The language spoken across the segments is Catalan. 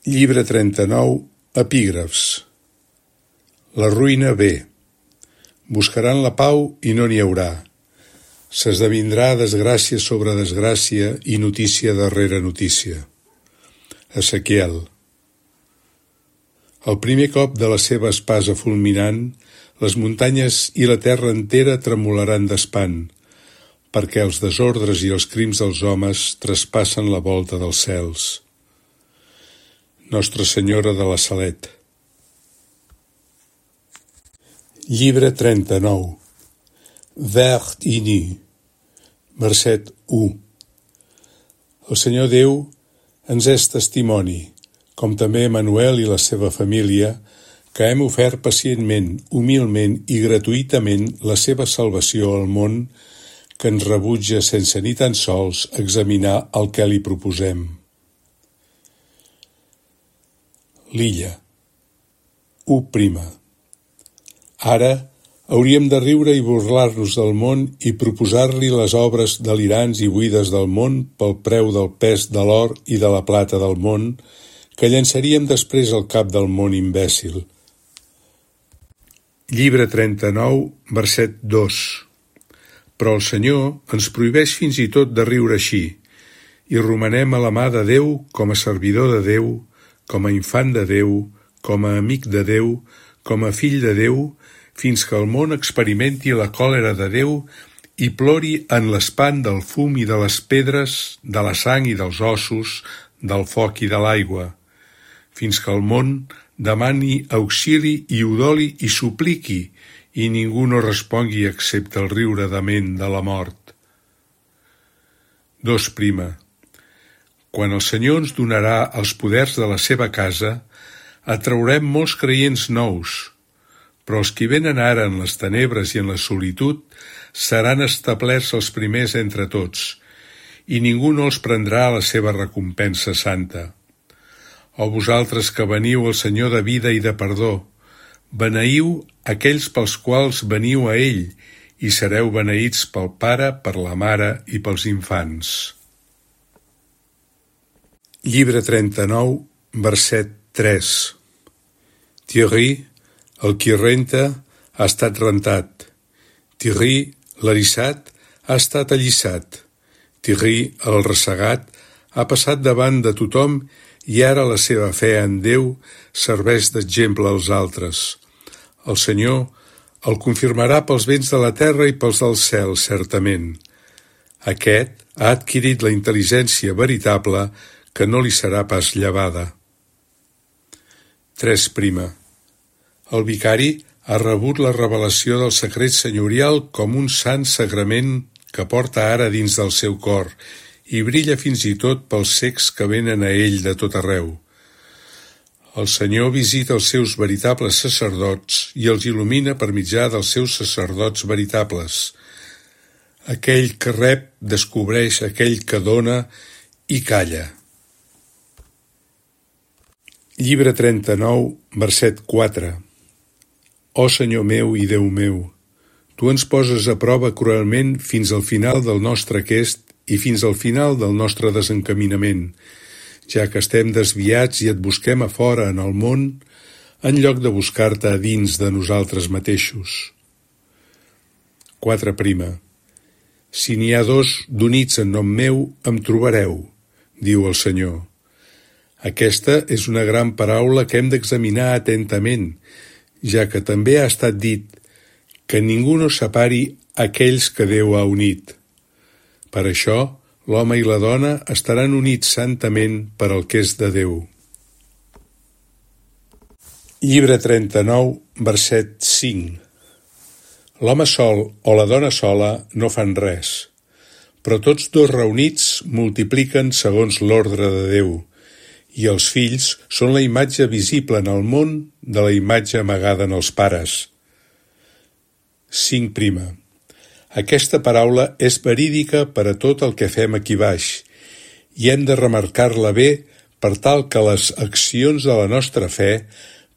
Llibre 39, epígrafs. La ruïna ve. Buscaran la pau i no n'hi haurà. S'esdevindrà desgràcia sobre desgràcia i notícia darrere notícia. Ezequiel. Al primer cop de la seva espasa fulminant, les muntanyes i la terra entera tremolaran d'espant, perquè els desordres i els crims dels homes traspassen la volta dels cels. Nostra Senyora de la Salet. Llibre 39. Vert i nu. Verset 1. El Senyor Déu ens és testimoni, com també Emmanuel i la seva família, que hem ofert pacientment, humilment i gratuïtament la seva salvació al món, que ens rebutja sense ni tan sols examinar el que li proposem. L'illa. 1. Ara hauríem de riure i burlar-nos del món i proposar-li les obres delirants i buides del món pel preu del pes de l'or i de la plata del món, que llançaríem després al cap del món imbècil. Llibre 39, verset 2. Però el Senyor ens prohibeix fins i tot de riure així, i romanem a la mà de Déu com a servidor de Déu, com a infant de Déu, com a amic de Déu, com a fill de Déu, fins que el món experimenti la còlera de Déu i plori en l'espant del fum i de les pedres, de la sang i dels ossos, del foc i de l'aigua, fins que el món demani auxili i udoli i supliqui, i ningú no respongui excepte el riure dement de la mort. 2. Quan el Senyor ens donarà els poders de la seva casa, atraurem molts creients nous, però els qui venen ara en les tenebres i en la solitud seran establerts els primers entre tots, i ningú no els prendrà la seva recompensa santa. O vosaltres que veniu al Senyor de vida i de perdó, beneïu aquells pels quals veniu a ell, i sereu beneïts pel Pare, per la Mare i pels infants. Llibre 39, verset 3. Thierry, el qui renta, ha estat rentat. Thierry, l'eriçat, ha estat allissat. Thierry, el ressegat, ha passat davant de tothom i ara la seva fe en Déu serveix d'exemple als altres. El Senyor el confirmarà pels vents de la terra i pels del cel, certament. Aquest ha adquirit la intel·ligència veritable que no li serà pas llevada. 3. El vicari ha rebut la revelació del secret senyorial com un sant sagrament que porta ara dins del seu cor i brilla fins i tot pels cecs que venen a ell de tot arreu. El Senyor visita els seus veritables sacerdots i els il·lumina per mitjà dels seus sacerdots veritables. Aquell que rep descobreix aquell que dona i calla. Llibre 39, verset 4. Ó Senyor meu i Déu meu, tu ens poses a prova cruelment fins al final del nostre aquest i fins al final del nostre desencaminament, ja que estem desviats i et busquem a fora en el món, en lloc de buscar-te a dins de nosaltres mateixos. 4. Si n'hi ha dos d'units en nom meu, em trobareu, diu el Senyor. Aquesta és una gran paraula que hem d'examinar atentament, ja que també ha estat dit que ningú no separi aquells que Déu ha unit. Per això, l'home i la dona estaran units santament per al que és de Déu. Llibre 39, verset 5. L'home sol o la dona sola no fan res, però tots dos reunits multipliquen segons l'ordre de Déu, i els fills són la imatge visible en el món de la imatge amagada en els pares. 5. Aquesta paraula és verídica per a tot el que fem aquí baix, i hem de remarcar-la bé per tal que les accions de la nostra fe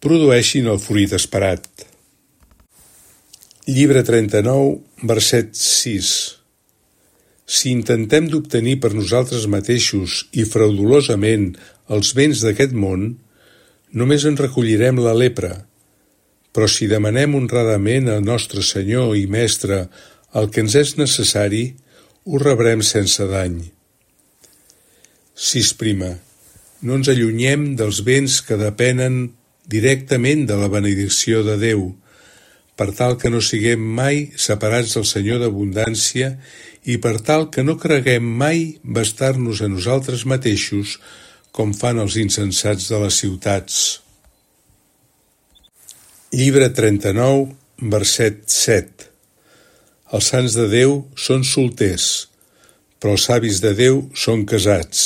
produeixin el fruit esperat. Llibre 39, verset 6. Si intentem d'obtenir per nosaltres mateixos i fraudulosament els béns d'aquest món, només en recollirem la lepra, però si demanem honradament al nostre Senyor i Mestre el que ens és necessari, ho rebrem sense dany. 6. No ens allunyem dels béns que depenen directament de la benedicció de Déu, per tal que no siguem mai separats del Senyor d'abundància i per tal que no creguem mai bastar-nos a nosaltres mateixos com fan els insensats de les ciutats. Llibre 39, verset 7. Els sants de Déu són solters, però els savis de Déu són casats.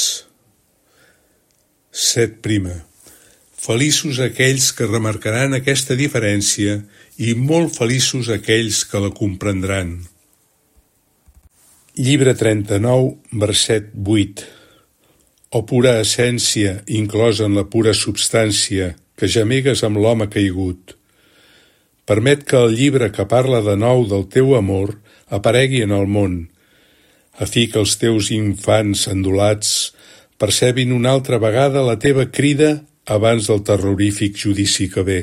7. Feliços aquells que remarcaran aquesta diferència i molt feliços aquells que la comprendran. Llibre 39, verset 8. O pura essència, inclosa en la pura substància, que gemegues amb l'home caigut. Permet que el llibre que parla de nou del teu amor aparegui en el món, a fi que els teus infants endolats percebin una altra vegada la teva crida abans del terrorífic judici que ve.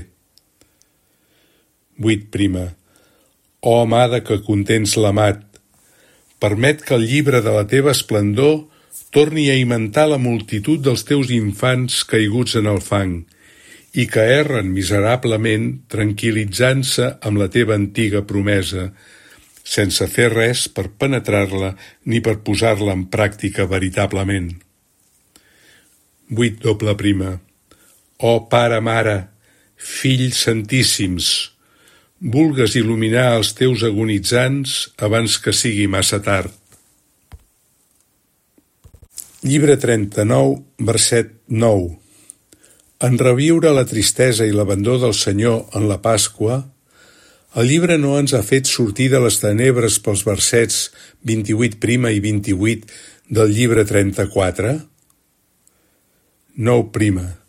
8. Oh amada que contens l'amat, permet que el llibre de la teva esplendor torni a aimentar la multitud dels teus infants caiguts en el fang i que erren miserablement tranquil·litzant-se amb la teva antiga promesa, sense fer res per penetrar-la ni per posar-la en pràctica veritablement. 8. Oh Pare, Mare, Fills Santíssims, vulgues il·luminar els teus agonitzants abans que sigui massa tard. Llibre 39, verset 9. En reviure la tristesa i l'abandó del Senyor en la Pasqua, el llibre no ens ha fet sortir de les tenebres pels versets 28' i 28 del llibre 34? 9.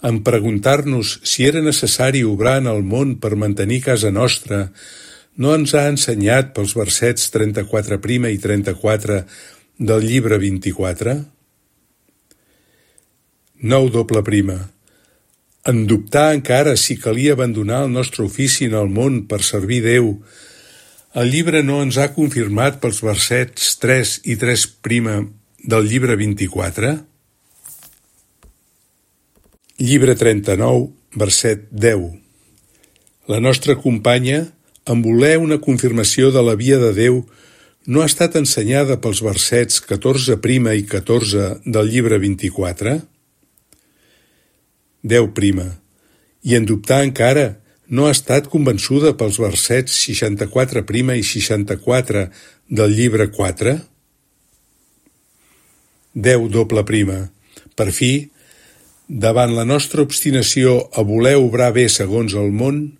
En preguntar-nos si era necessari obrar en el món per mantenir casa nostra, no ens ha ensenyat pels versets 34' i 34 del llibre 24? 9. En dubtar encara si calia abandonar el nostre ofici en el món per servir Déu, el llibre no ens ha confirmat pels versets 3 i 3' del llibre 24? Llibre 39, verset 10. La nostra companya, en voler una confirmació de la via de Déu, no ha estat ensenyada pels versets 14' i 14 del llibre 24? 10. I en dubtar encara, no ha estat convençuda pels versets 64' i 64 del llibre 4? 10. Per fi, davant la nostra obstinació a voler obrar bé segons el món,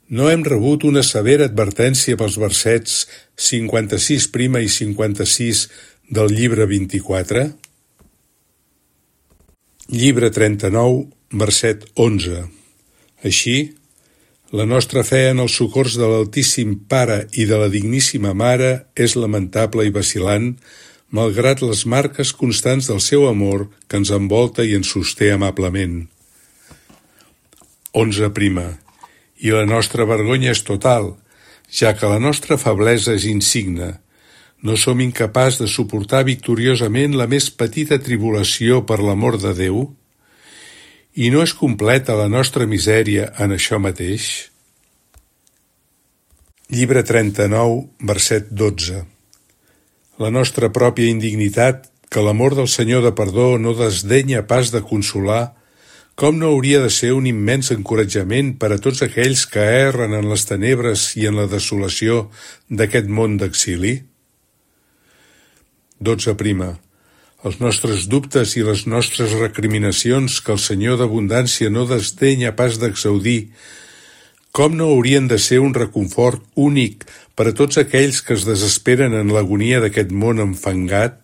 no hem rebut una severa advertència pels versets 56' i 56 del llibre 24? Llibre 39, verset 11. Així, la nostra fe en els socors de l'Altíssim Pare i de la Digníssima Mare és lamentable i vacil·lant, malgrat les marques constants del seu amor que ens envolta i ens sosté amablement. 11. I la nostra vergonya és total, ja que la nostra feblesa és insigne. No som incapaços de suportar victoriosament la més petita tribulació per l'amor de Déu? I no és completa la nostra misèria en això mateix? Llibre 39, verset 12. La nostra pròpia indignitat, que l'amor del Senyor de perdó no desdenya pas de consolar, com no hauria de ser un immens encoratjament per a tots aquells que erren en les tenebres i en la desolació d'aquest món d'exili? 12. Els nostres dubtes i les nostres recriminacions que el Senyor d'abundància no desdenya pas d'exaudir, com no haurien de ser un reconfort únic per a tots aquells que es desesperen en l'agonia d'aquest món enfangat?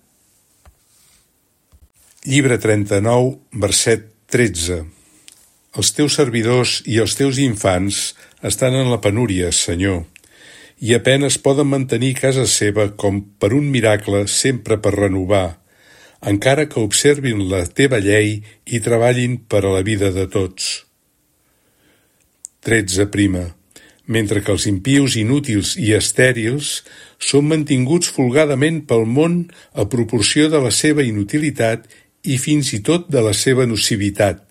Llibre 39, verset 13. Els teus servidors i els teus infants estan en la penúria, Senyor, i apenes poden mantenir casa seva com per un miracle sempre per renovar, encara que observin la teva llei i treballin per a la vida de tots. 13. Mentre que els impius inútils i estèrils són mantinguts folgadament pel món a proporció de la seva inutilitat i fins i tot de la seva nocivitat,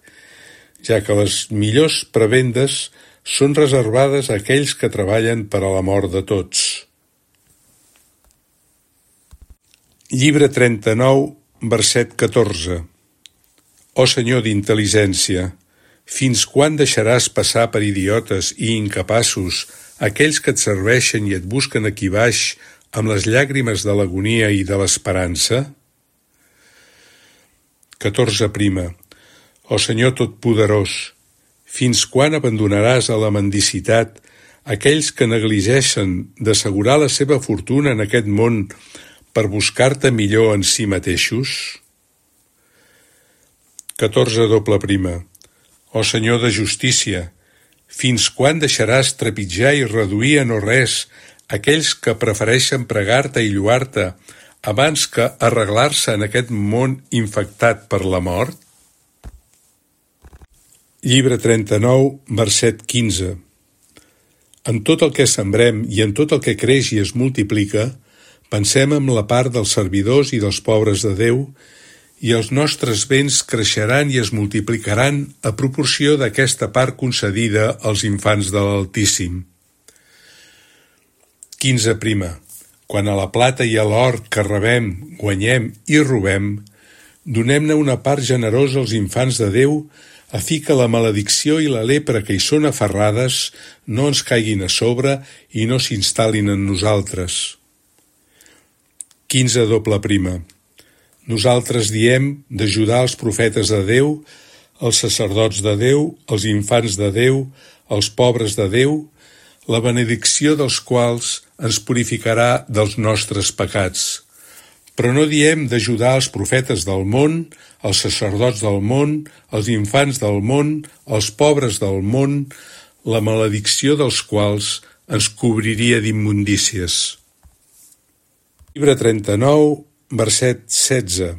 ja que les millors prebendes són reservades a aquells que treballen per a la mort de tots. Llibre 39, verset 14. Ó Senyor d'intel·ligència, fins quan deixaràs passar per idiotes i incapaços aquells que et serveixen i et busquen aquí baix amb les llàgrimes de l'agonia i de l'esperança? 14. Ó Senyor Totpoderós, fins quan abandonaràs a la mendicitat aquells que negligeixen d'assegurar la seva fortuna en aquest món per buscar-te millor en si mateixos? 14. Ó Senyor de justícia, fins quan deixaràs trepitjar i reduir a no res aquells que prefereixen pregar-te i lloar-te abans que arreglar-se en aquest món infectat per la mort? Llibre 39, verset 15. En tot el que sembrem i en tot el que creix i es multiplica, pensem en la part dels servidors i dels pobres de Déu, i els nostres béns creixeran i es multiplicaran a proporció d'aquesta part concedida als infants de l'Altíssim. 15. Quan a la plata i a l'or que rebem, guanyem i robem, donem-ne una part generosa als infants de Déu, a fi que la maledicció i la lepra que hi són aferrades no ens caiguin a sobre i no s'instal·lin en nosaltres. 15. Nosaltres diem d'ajudar els profetes de Déu, els sacerdots de Déu, els infants de Déu, els pobres de Déu, la benedicció dels quals ens purificarà dels nostres pecats. Però no diem d'ajudar els profetes del món, els sacerdots del món, els infants del món, els pobres del món, la maledicció dels quals ens cobriria d'immundícies. Llibre 39, verset 16.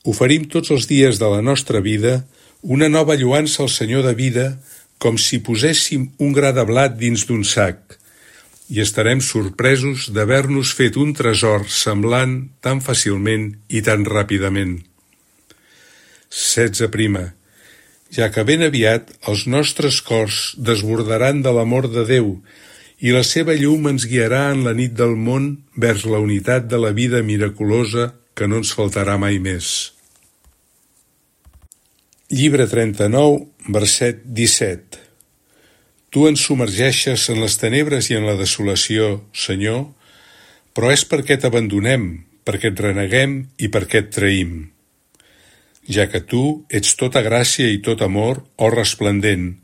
Oferim tots els dies de la nostra vida una nova lloança al Senyor de vida, com si poséssim un gra de blat dins d'un sac, i estarem sorpresos d'haver-nos fet un tresor semblant tan fàcilment i tan ràpidament. 16. Ja que ben aviat els nostres cors desbordaran de l'amor de Déu i la seva llum ens guiarà en la nit del món vers la unitat de la vida miraculosa que no ens faltarà mai més. Llibre 39, verset 17. Tu ens submergeixes en les tenebres i en la desolació, Senyor, però és perquè t'abandonem, perquè et reneguem i perquè et traïm. Ja que tu ets tota gràcia i tot amor, ó resplendent,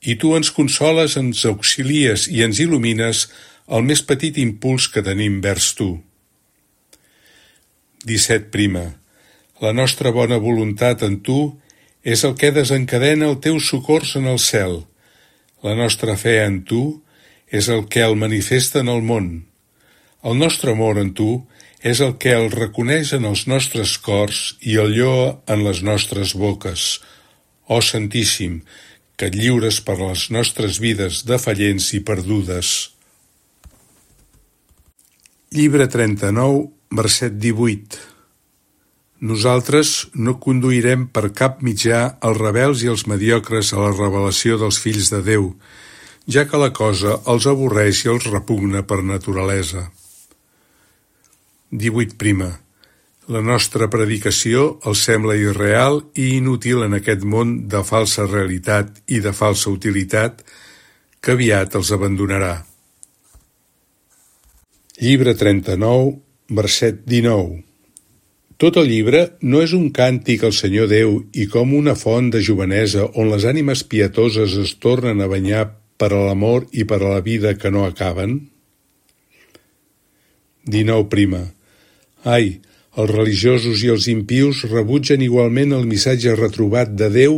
i tu ens consoles, ens auxilies i ens il·lumines el més petit impuls que tenim vers tu. 17. La nostra bona voluntat en tu és el que desencadena el teu socors en el cel. La nostra fe en tu és el que el manifesta en el món. El nostre amor en tu és el que el reconeix en els nostres cors i el lloa en les nostres boques. Ó Santíssim, que et lliures per les nostres vides defallents i perdudes. Llibre 39, verset 18. Nosaltres no conduirem per cap mitjà els rebels i els mediocres a la revelació dels fills de Déu, ja que la cosa els avorreix i els repugna per naturalesa. 18. La nostra predicació els sembla irreal i inútil en aquest món de falsa realitat i de falsa utilitat que aviat els abandonarà. Llibre 39, verset 19. Tot el llibre no és un càntic al Senyor Déu i com una font de jovenesa on les ànimes pietoses es tornen a banyar per a l'amor i per a la vida que no acaben? 19. Ai, els religiosos i els impius rebutgen igualment el missatge retrobat de Déu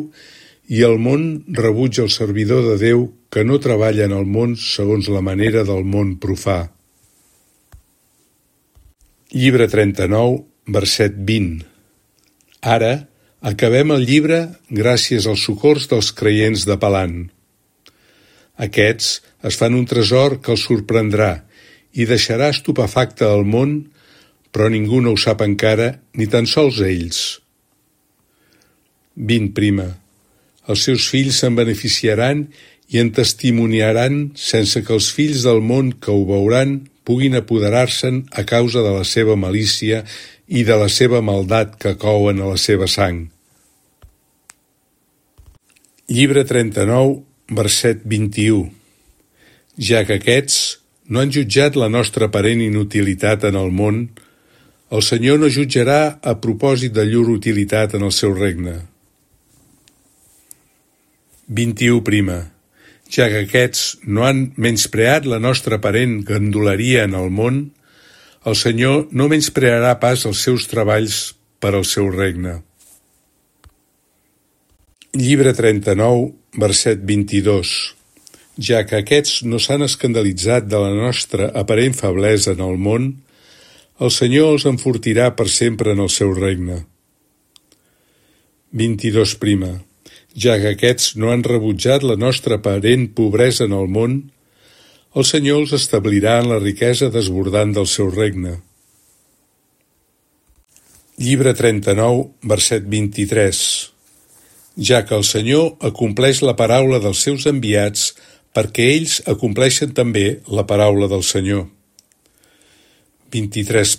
i el món rebutja el servidor de Déu que no treballen el món segons la manera del món profà. Llibre 39, verset 20. Ara acabem el llibre gràcies als socors dels creients de Palant. Aquests es fan un tresor que els sorprendrà i deixarà estupefacte el món, però ningú no ho sap encara, ni tan sols ells. 20. Els seus fills se'n beneficiaran i en testimoniaran sense que els fills del món que ho veuran puguin apoderar-se'n a causa de la seva malícia i de la seva maldat que couen a la seva sang. Llibre 39, verset 21. Ja que aquests no han jutjat la nostra aparent inutilitat en el món, el Senyor no jutjarà a propòsit de llur utilitat en el seu regne. 21. Ja que aquests no han menyspreat la nostra aparent gandoleria en el món, el Senyor no menysprearà pas els seus treballs per al seu regne. Llibre 39, verset 22. Ja que aquests no s'han escandalitzat de la nostra aparent feblesa en el món, el Senyor els enfortirà per sempre en el seu regne. 22. Ja que aquests no han rebutjat la nostra aparent pobresa en el món, el Senyor els establirà en la riquesa desbordant del seu regne. Llibre 39, verset 23. Ja que el Senyor acompleix la paraula dels seus enviats perquè ells acompleixen també la paraula del Senyor. 23.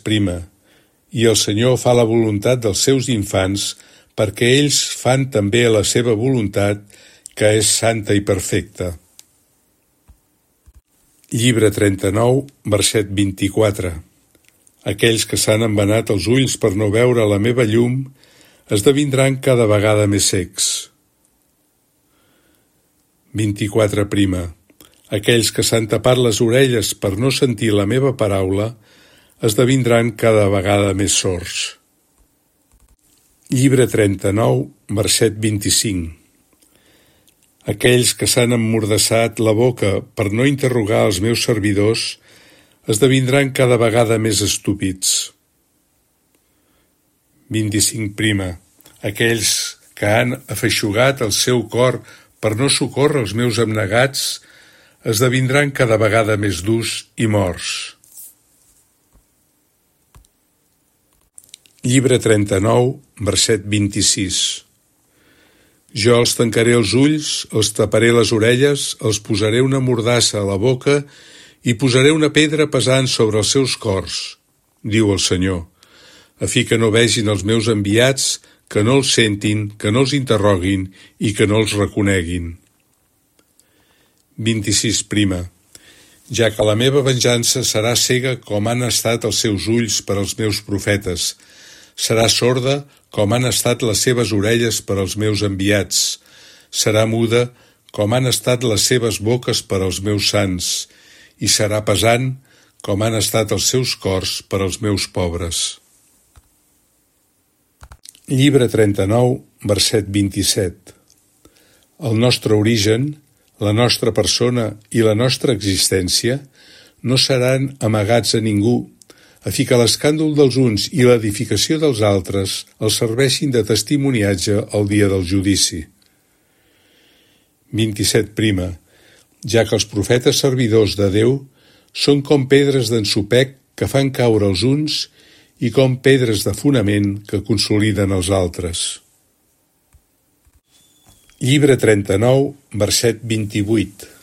I el Senyor fa la voluntat dels seus infants perquè ells fan també la seva voluntat, que és santa i perfecta. Llibre 39, verset 24. Aquells que s'han embenat els ulls per no veure la meva llum esdevindran cada vegada més secs. 24. Aquells que s'han tapat les orelles per no sentir la meva paraula esdevindran cada vegada més sords. Llibre 39, verset 25. Aquells que s'han emmordassat la boca per no interrogar els meus servidors esdevindran cada vegada més estúpids. 25. Aquells que han afeixugat el seu cor per no socórrer els meus abnegats esdevindran cada vegada més durs i morts. Llibre 39, verset 26. Jo els tancaré els ulls, els taparé les orelles, els posaré una mordassa a la boca i posaré una pedra pesant sobre els seus cors, diu el Senyor, a fi que no vegin els meus enviats, que no els sentin, que no els interroguin i que no els reconeguin. 26. Ja que la meva venjança serà cega com han estat els seus ulls per als meus profetes, serà sorda com han estat les seves orelles per als meus enviats, serà muda com han estat les seves boques per als meus sants, i serà pesant com han estat els seus cors per als meus pobres. Llibre 39, verset 27. El nostre origen, la nostra persona i la nostra existència no seran amagats a ningú, a fi que l'escàndol dels uns i l'edificació dels altres els serveixin de testimoniatge el dia del judici. 27. Ja que els profetes servidors de Déu són com pedres d'ensopec que fan caure els uns i com pedres de fonament que consoliden els altres. Llibre 39, verset 28.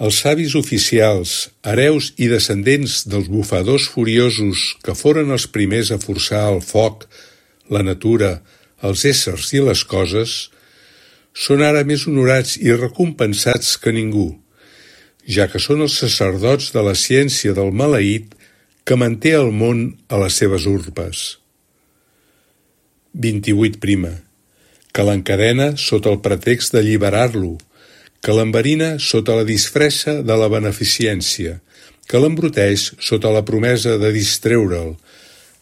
Els savis oficials, hereus i descendents dels bufadors furiosos que foren els primers a forçar el foc, la natura, els éssers i les coses, són ara més honorats i recompensats que ningú, ja que són els sacerdots de la ciència del maleït que manté el món a les seves urpes. 28. Que l'encadena sota el pretext d'alliberar-lo, que l'enverina sota la disfressa de la beneficència, que l'embruteix sota la promesa de distreure'l,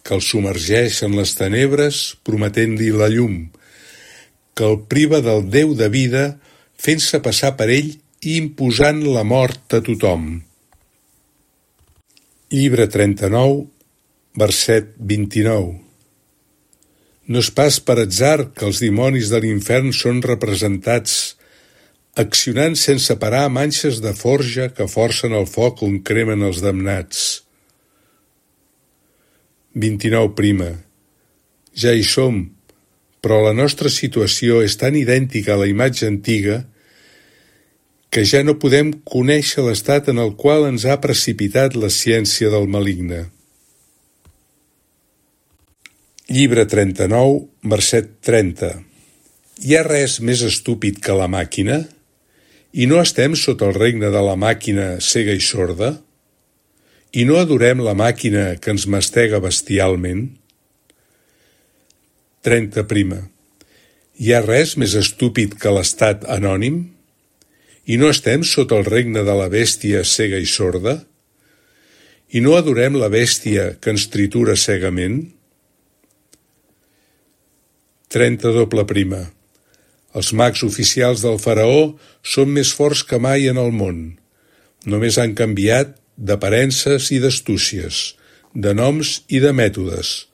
que el submergeix en les tenebres prometent-li la llum, que el priva del Déu de vida fent-se passar per ell i imposant la mort a tothom. Llibre 39, verset 29. No és pas per atzar que els dimonis de l'infern són representats accionant sense parar manxes de forja que forcen el foc on cremen els damnats. 29. Ja hi som, però la nostra situació és tan idèntica a la imatge antiga que ja no podem conèixer l'estat en el qual ens ha precipitat la ciència del maligne. Llibre 39, verset 30. Hi ha res més estúpid que la màquina? I no estem sota el regne de la màquina cega i sorda? I no adorem la màquina que ens mastega bestialment? 30. Hi ha res més estúpid que l'estat anònim? I no estem sota el regne de la bèstia cega i sorda? I no adorem la bèstia que ens tritura cegament? 32. Els mags oficials del faraó són més forts que mai en el món. Només han canviat d'aparences i d'astúcies, de noms i de mètodes,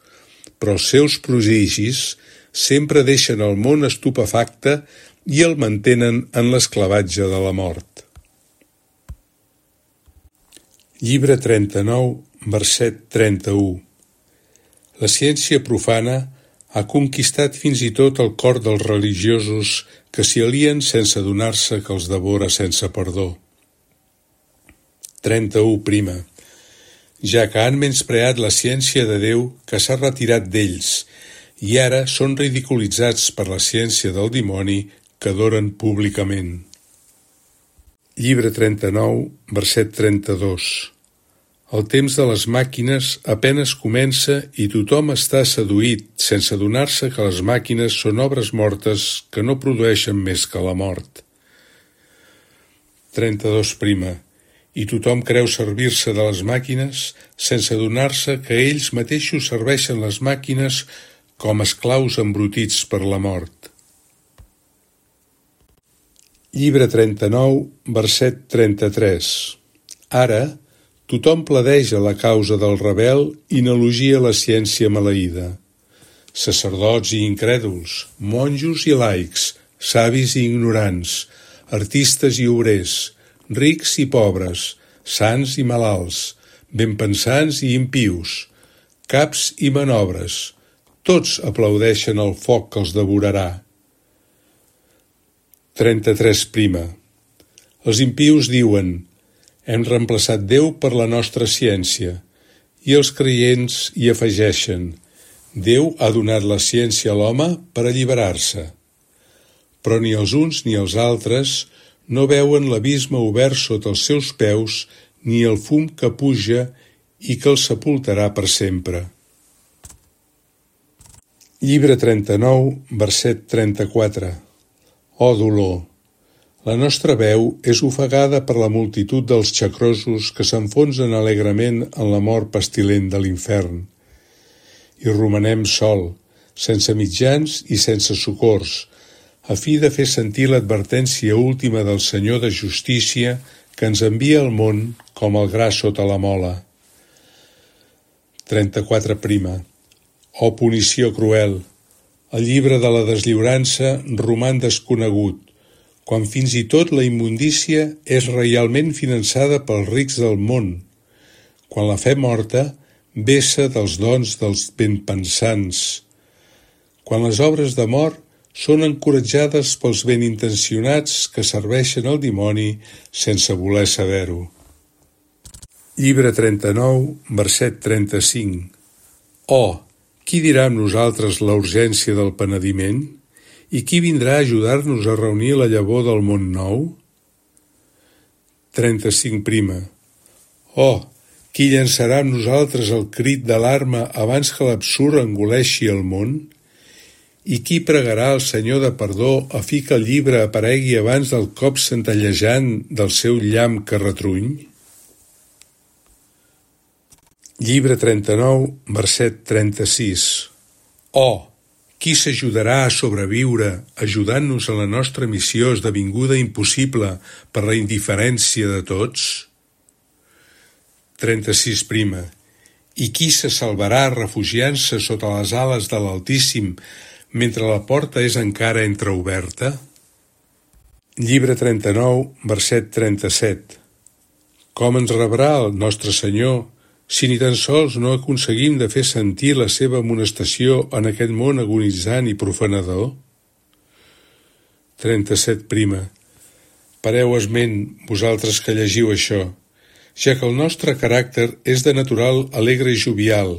però els seus prodigis sempre deixen el món estupefacte i el mantenen en l'esclavatge de la mort. Llibre 39, verset 31. La ciència profana ha conquistat fins i tot el cor dels religiosos que s'hi alien sense adonar-se que els devora sense perdó. 31. Ja que han menyspreat la ciència de Déu que s'ha retirat d'ells i ara són ridiculitzats per la ciència del dimoni que adoren públicament. Llibre 39, verset 32. El temps de les màquines apenes comença i tothom està seduït sense adonar-se que les màquines són obres mortes que no produeixen més que la mort. 32. I tothom creu servir-se de les màquines sense adonar-se que ells mateixos serveixen les màquines com esclaus embrutits per la mort. Llibre 39, verset 33. Ara, tothom pledeja la causa del rebel i n'elogia la ciència maleïda. Sacerdots i incrèduls, monjos i laics, savis i ignorants, artistes i obrers, rics i pobres, sants i malalts, benpensants i impius, caps i manobres, tots aplaudeixen el foc que els devorarà. 33. Els impius diuen: hem reemplaçat Déu per la nostra ciència, i els creients hi afegeixen: Déu ha donat la ciència a l'home per alliberar-se. Però ni els uns ni els altres no veuen l'abisme obert sota els seus peus ni el fum que puja i que els sepultarà per sempre. Llibre 39, verset 34. Oh dolor! La nostra veu és ofegada per la multitud dels xacrosos que s'enfonsen alegrement en la mort pestilent de l'infern. I romanem sol, sense mitjans i sense socors, a fi de fer sentir l'advertència última del Senyor de Justícia que ens envia al món com el gra sota la mola. 34. Oh punició cruel! El llibre de la deslliurança roman desconegut, quan fins i tot la immundícia és reialment finançada pels rics del món, quan la fe morta vessa dels dons dels benpensants, quan les obres d'amor són encoratjades pels benintencionats que serveixen al dimoni sense voler saber-ho. Llibre 39, verset 35. Oh, qui dirà amb nosaltres la urgència del penediment? I qui vindrà a ajudar-nos a reunir la llavor del món nou? 35. Oh, qui llançarà amb nosaltres el crit d'alarma abans que l'absurd engoleixi el món? I qui pregarà al Senyor de perdó a fi que el llibre aparegui abans del cop centellejant del seu llamp que retruny? Llibre 39, verset 36. Oh, Qui s'ajudarà a sobreviure ajudant-nos en la nostra missió esdevinguda impossible per la indiferència de tots? 36. I qui se salvarà refugiant-se sota les ales de l'Altíssim mentre la porta és encara entreoberta? Llibre 39, verset 37. Com ens rebrà el nostre Senyor si ni tan sols no aconseguim de fer sentir la seva amonestació en aquest món agonitzant i profanador? 37. Pareu esment, vosaltres que llegiu això, ja que el nostre caràcter és de natural alegre i jovial,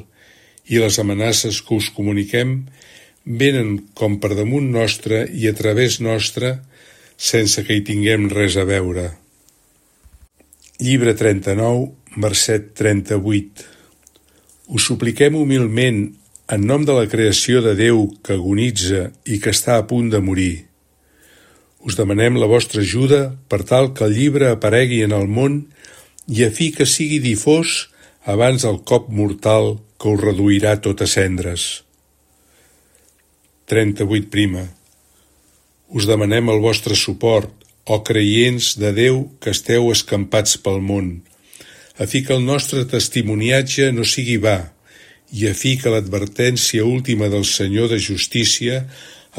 i les amenaces que us comuniquem venen com per damunt nostre i a través nostre, sense que hi tinguem res a veure. Llibre 39, verset 38. Us supliquem humilment, en nom de la creació de Déu que agonitza i que està a punt de morir. Us demanem la vostra ajuda per tal que el llibre aparegui en el món i a fi que sigui difós abans del cop mortal que us reduirà tot a cendres. 38. Us demanem el vostre suport, o creients de Déu que esteu escampats pel món, a fi que el nostre testimoniatge no sigui va, i a fi que l'advertència última del Senyor de Justícia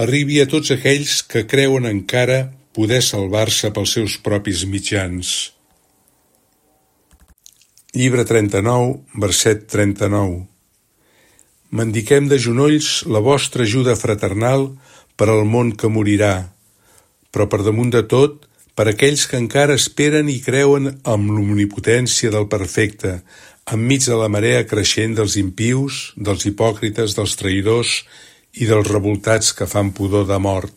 arribi a tots aquells que creuen encara poder salvar-se pels seus propis mitjans. Llibre 39, verset 39. Mendiquem de genolls la vostra ajuda fraternal per al món que morirà, però per damunt de tot, per aquells que encara esperen i creuen amb l'omnipotència del perfecte, enmig de la marea creixent dels impius, dels hipòcrites, dels traïdors i dels revoltats que fan pudor de mort.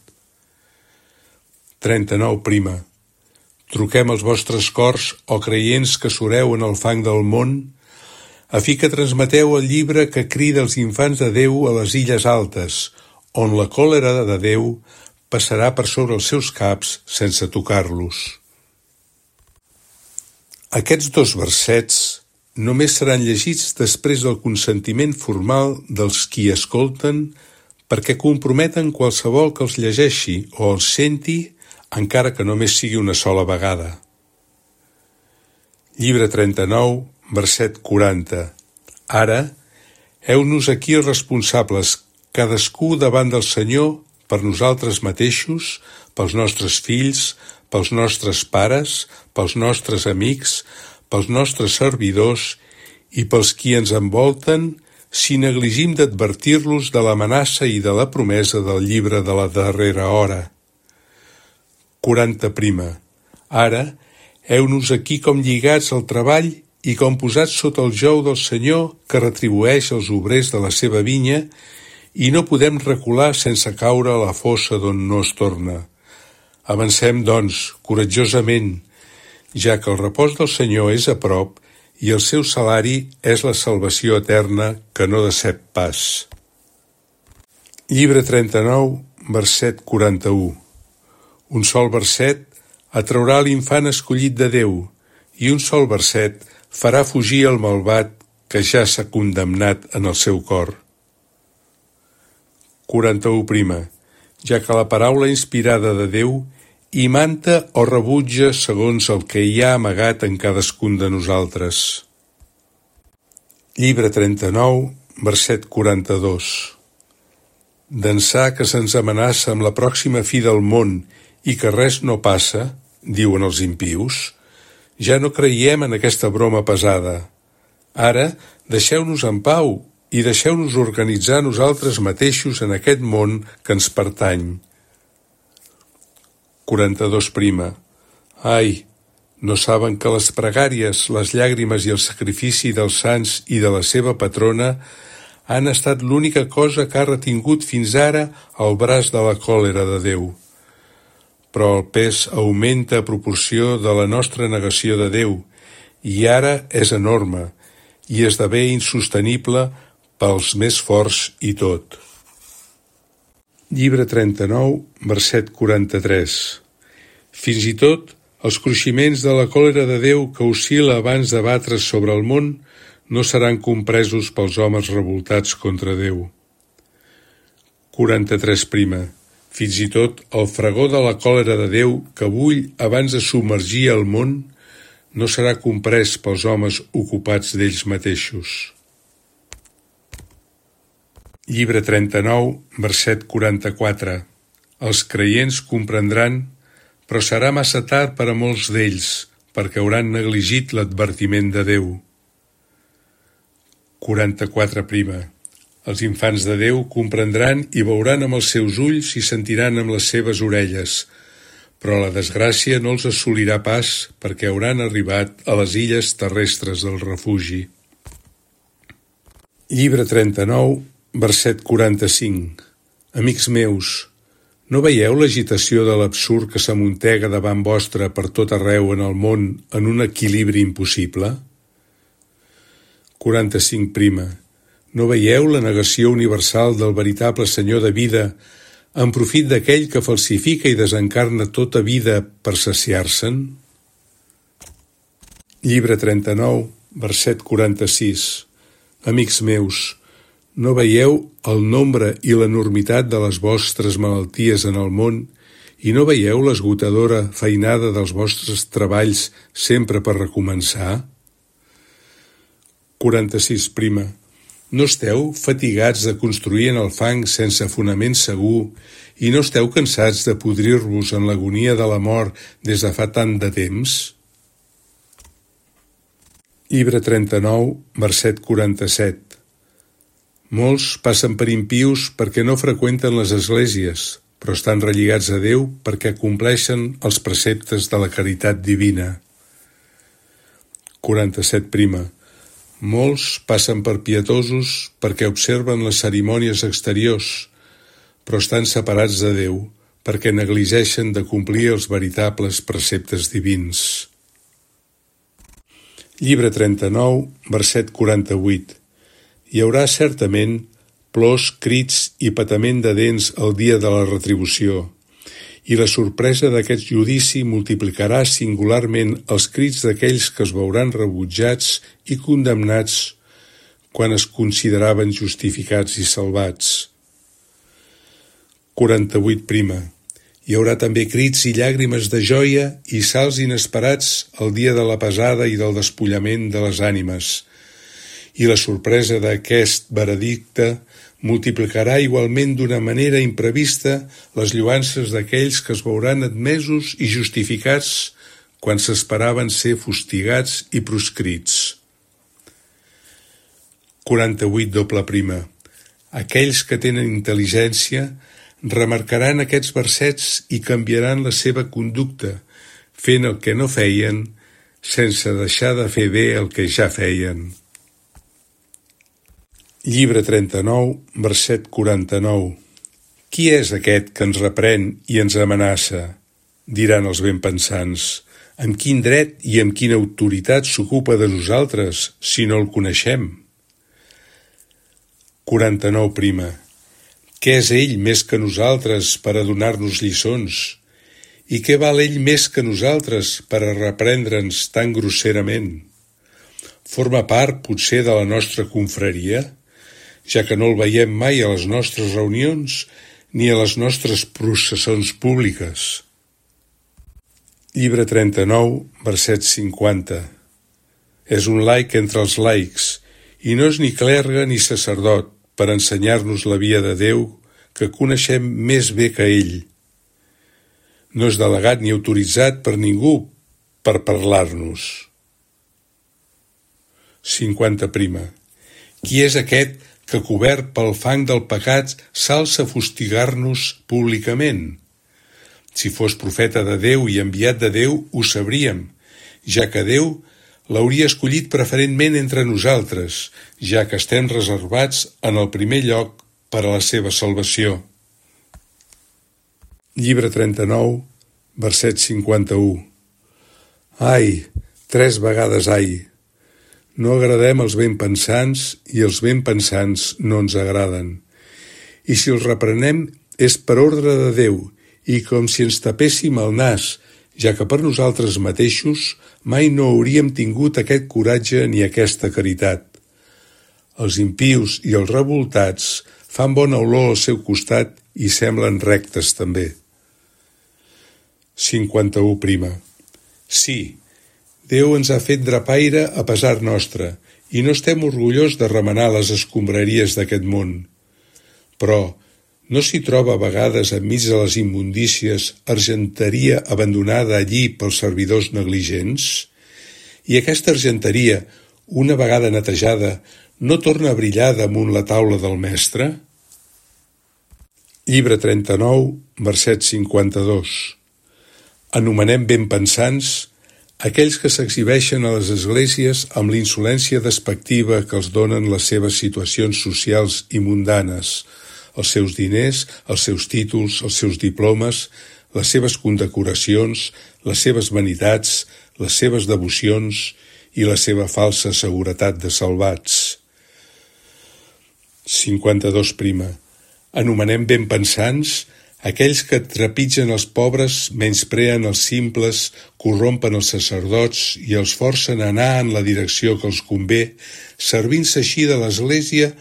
39. Truquem els vostres cors, o creients que sureu en el fang del món, a fi que transmeteu el llibre que crida els infants de Déu a les illes altes, on la còlera de Déu passarà per sobre els seus caps sense tocar-los. Aquests dos versets només seran llegits després del consentiment formal dels qui escolten perquè comprometen qualsevol que els llegeixi o els senti, encara que només sigui una sola vegada. Llibre 39, verset 40. Ara, heu-nos aquí responsables, cadascú davant del Senyor, per nosaltres mateixos, pels nostres fills, pels nostres pares, pels nostres amics, pels nostres servidors i pels qui ens envolten, si negligim d'advertir-los de l'amenaça i de la promesa del llibre de la darrera hora. 40. Ara, heu-nos aquí com lligats al treball i com posats sota el jou del Senyor que retribueix els obrers de la seva vinya, i no podem recular sense caure a la fossa d'on no es torna. Avancem, doncs, coratjosament, ja que el repòs del Senyor és a prop i el seu salari és la salvació eterna que no decep pas. Llibre 39, verset 41. Un sol verset atraurà l'infant escollit de Déu i un sol verset farà fugir el malvat que ja s'ha condemnat en el seu cor. 41. Ja que la paraula inspirada de Déu imanta o rebutja segons el que hi ha amagat en cadascun de nosaltres. Llibre 39, verset 42. D'ençà que se'ns amenaça amb la pròxima fi del món i que res no passa, diuen els impius, ja no creiem en aquesta broma pesada. Ara, deixeu-nos en pau i deixeu-nos organitzar nosaltres mateixos en aquest món que ens pertany. 42. Ai, no saben que les pregàries, les llàgrimes i el sacrifici dels sants i de la seva patrona han estat l'única cosa que ha retingut fins ara el braç de la còlera de Déu. Però el pes augmenta a proporció de la nostra negació de Déu i ara és enorme i esdevé insostenible pels més forts i tot. Llibre 39, verset 43. Fins i tot els cruiximents de la còlera de Déu que oscil·la abans de batre's sobre el món no seran compresos pels homes revoltats contra Déu. 43 prima. Fins i tot el fragor de la còlera de Déu que bull abans de submergir el món no serà comprès pels homes ocupats d'ells mateixos. Llibre 39, verset 44. Els creients comprendran, però serà massa tard per a molts d'ells, perquè hauran negligit l'advertiment de Déu. 44 prima. Els infants de Déu comprendran i veuran amb els seus ulls i sentiran amb les seves orelles, però la desgràcia no els assolirà pas perquè hauran arribat a les illes terrestres del refugi. Llibre 39, verset 45. Amics meus, no veieu l'agitació de l'absurd que s'amuntega davant vostre per tot arreu en el món en un equilibri impossible? 45 prima. No veieu la negació universal del veritable Senyor de vida en profit d'aquell que falsifica i desencarna tota vida per saciar-se'n? Llibre 39, verset 46. Amics meus, no veieu el nombre i l'enormitat de les vostres malalties en el món i no veieu l'esgotadora feinada dels vostres treballs sempre per recomençar? 46 prima. No esteu fatigats de construir en el fang sense fonament segur i no esteu cansats de podrir-vos en l'agonia de la mort des de fa tant de temps? Llibre 39, verset 47. Molts passen per impius perquè no freqüenten les esglésies, però estan relligats a Déu perquè compleixen els preceptes de la caritat divina. 47 prima. Molts passen per pietosos perquè observen les cerimònies exteriors, però estan separats de Déu perquè negligeixen de complir els veritables preceptes divins. Llibre 39, verset 48. Hi haurà certament plors, crits i patament de dents el dia de la retribució, i la sorpresa d'aquest judici multiplicarà singularment els crits d'aquells que es veuran rebutjats i condemnats quan es consideraven justificats i salvats. 48 prima. Hi haurà també crits i llàgrimes de joia i salts inesperats el dia de la pesada i del despullament de les ànimes, i la sorpresa d'aquest veredicte multiplicarà igualment d'una manera imprevista les lloances d'aquells que es veuran admesos i justificats quan s'esperaven ser fustigats i proscrits. 48 doble prima. Aquells que tenen intel·ligència remarcaran aquests versets i canviaran la seva conducta, fent el que no feien, sense deixar de fer bé el que ja feien. Llibre 39, verset 49. Qui és aquest que ens reprèn i ens amenaça? Diran els benpensants. Amb quin dret i amb quina autoritat s'ocupa de nosaltres, si no el coneixem? 49 prima. Què és ell més que nosaltres per a donar-nos lliçons? I què val ell més que nosaltres per a reprendre'ns tan grosserament? Forma part, potser, de la nostra confraria, ja que no el veiem mai a les nostres reunions ni a les nostres processons públiques. Llibre 39, verset 50. És un laic entre els laics, i no és ni clergue ni sacerdot per ensenyar-nos la via de Déu que coneixem més bé que ell. No és delegat ni autoritzat per ningú per parlar-nos. 50 prima. Qui és aquest que cobert pel fang del pecat s'alça a fustigar-nos públicament? Si fos profeta de Déu i enviat de Déu, ho sabríem, ja que Déu l'hauria escollit preferentment entre nosaltres, ja que estem reservats en el primer lloc per a la seva salvació. Llibre 39, verset 51. Ai, 3 vegades ai! No agradem als benpensants i els benpensants no ens agraden. I si els reprenem és per ordre de Déu i com si ens tapéssim el nas, ja que per nosaltres mateixos mai no hauríem tingut aquest coratge ni aquesta caritat. Els impius i els revoltats fan bona olor al seu costat i semblen rectes també. 51. Sí, Déu ens ha fet drapaire a pesar nostre i no estem orgullós de remenar les escombraries d'aquest món. Però no s'hi troba a vegades enmig de les immundícies argenteria abandonada allí pels servidors negligents? I aquesta argenteria, una vegada netejada, no torna a brillar damunt la taula del mestre? Llibre 39, verset 52. Anomenem benpensants aquells que s'exhibeixen a les esglésies amb l'insolència despectiva que els donen les seves situacions socials i mundanes, els seus diners, els seus títols, els seus diplomes, les seves condecoracions, les seves vanitats, les seves devocions i la seva falsa seguretat de salvats. 52. Anomenem benpensants aquells que trepitgen els pobres, menyspreen els simples, corrompen els sacerdots i els forcen a anar en la direcció que els convé, servint-se així de l'Església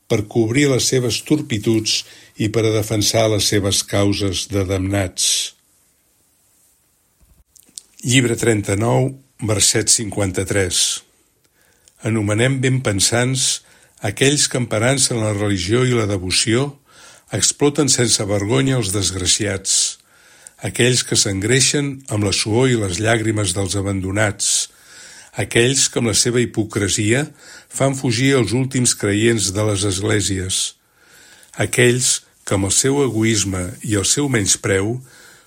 per cobrir les seves turpituds i per a defensar les seves causes de damnats. Llibre 39, verset 53. Anomenem benpensants aquells que, emparant-se en la religió i la devoció, exploten sense vergonya els desgraciats, aquells que s'engreixen amb la suor i les llàgrimes dels abandonats, aquells que amb la seva hipocresia fan fugir els últims creients de les esglésies, aquells que amb el seu egoisme i el seu menyspreu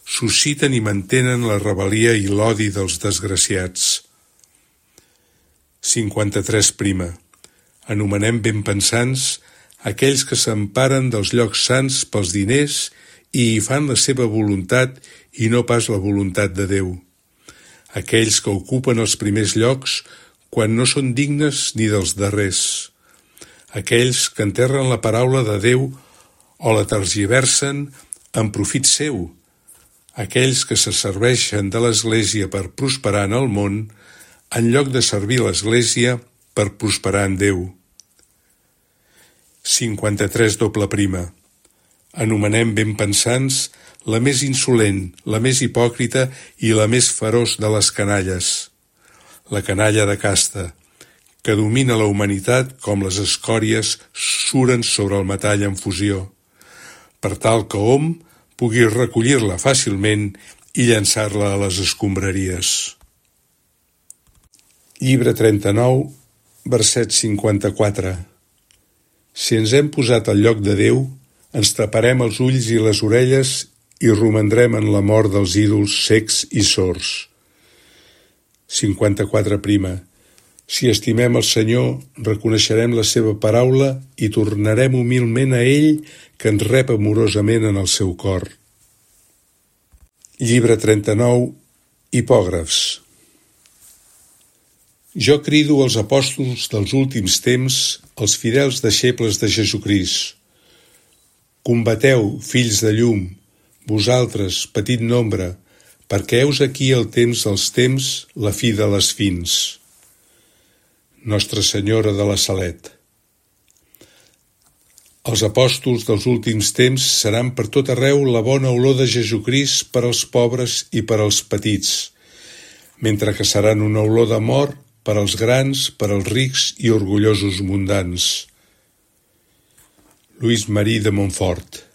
susciten i mantenen la rebel·lia i l'odi dels desgraciats. 53. Anomenem benpensants aquells que s'emparen dels llocs sants pels diners i hi fan la seva voluntat i no pas la voluntat de Déu. Aquells que ocupen els primers llocs quan no són dignes ni dels darrers. Aquells que enterren la paraula de Déu o la tergiversen en profit seu. Aquells que se serveixen de l'Església per prosperar en el món en lloc de servir l'Església per prosperar en Déu. 53. Anomenem benpensants la més insolent, la més hipòcrita i la més feroç de les canalles, la canalla de casta, que domina la humanitat com les escòries suren sobre el metall en fusió, per tal que hom pugui recollir-la fàcilment i llançar-la a les escombraries. Llibre 39, verset 54. Si ens hem posat al lloc de Déu, ens taparem els ulls i les orelles i romandrem en la mort dels ídols cecs i sords. 54. Si estimem el Senyor, reconeixerem la seva paraula i tornarem humilment a ell, que ens rep amorosament en el seu cor. Llibre 39, Hipògrafs. Jo crido als apòstols dels últims temps, els fidels deixebles de Jesucrist. Combateu, fills de llum, vosaltres, petit nombre, perquè heus aquí el temps dels temps, la fi de les fins. Nostra Senyora de la Salet. Els apòstols dels últims temps seran per tot arreu la bona olor de Jesucrist per als pobres i per als petits, mentre que seran una olor de mort per als grans, per als rics i orgullosos mundans. Lluís Marí de Montfort.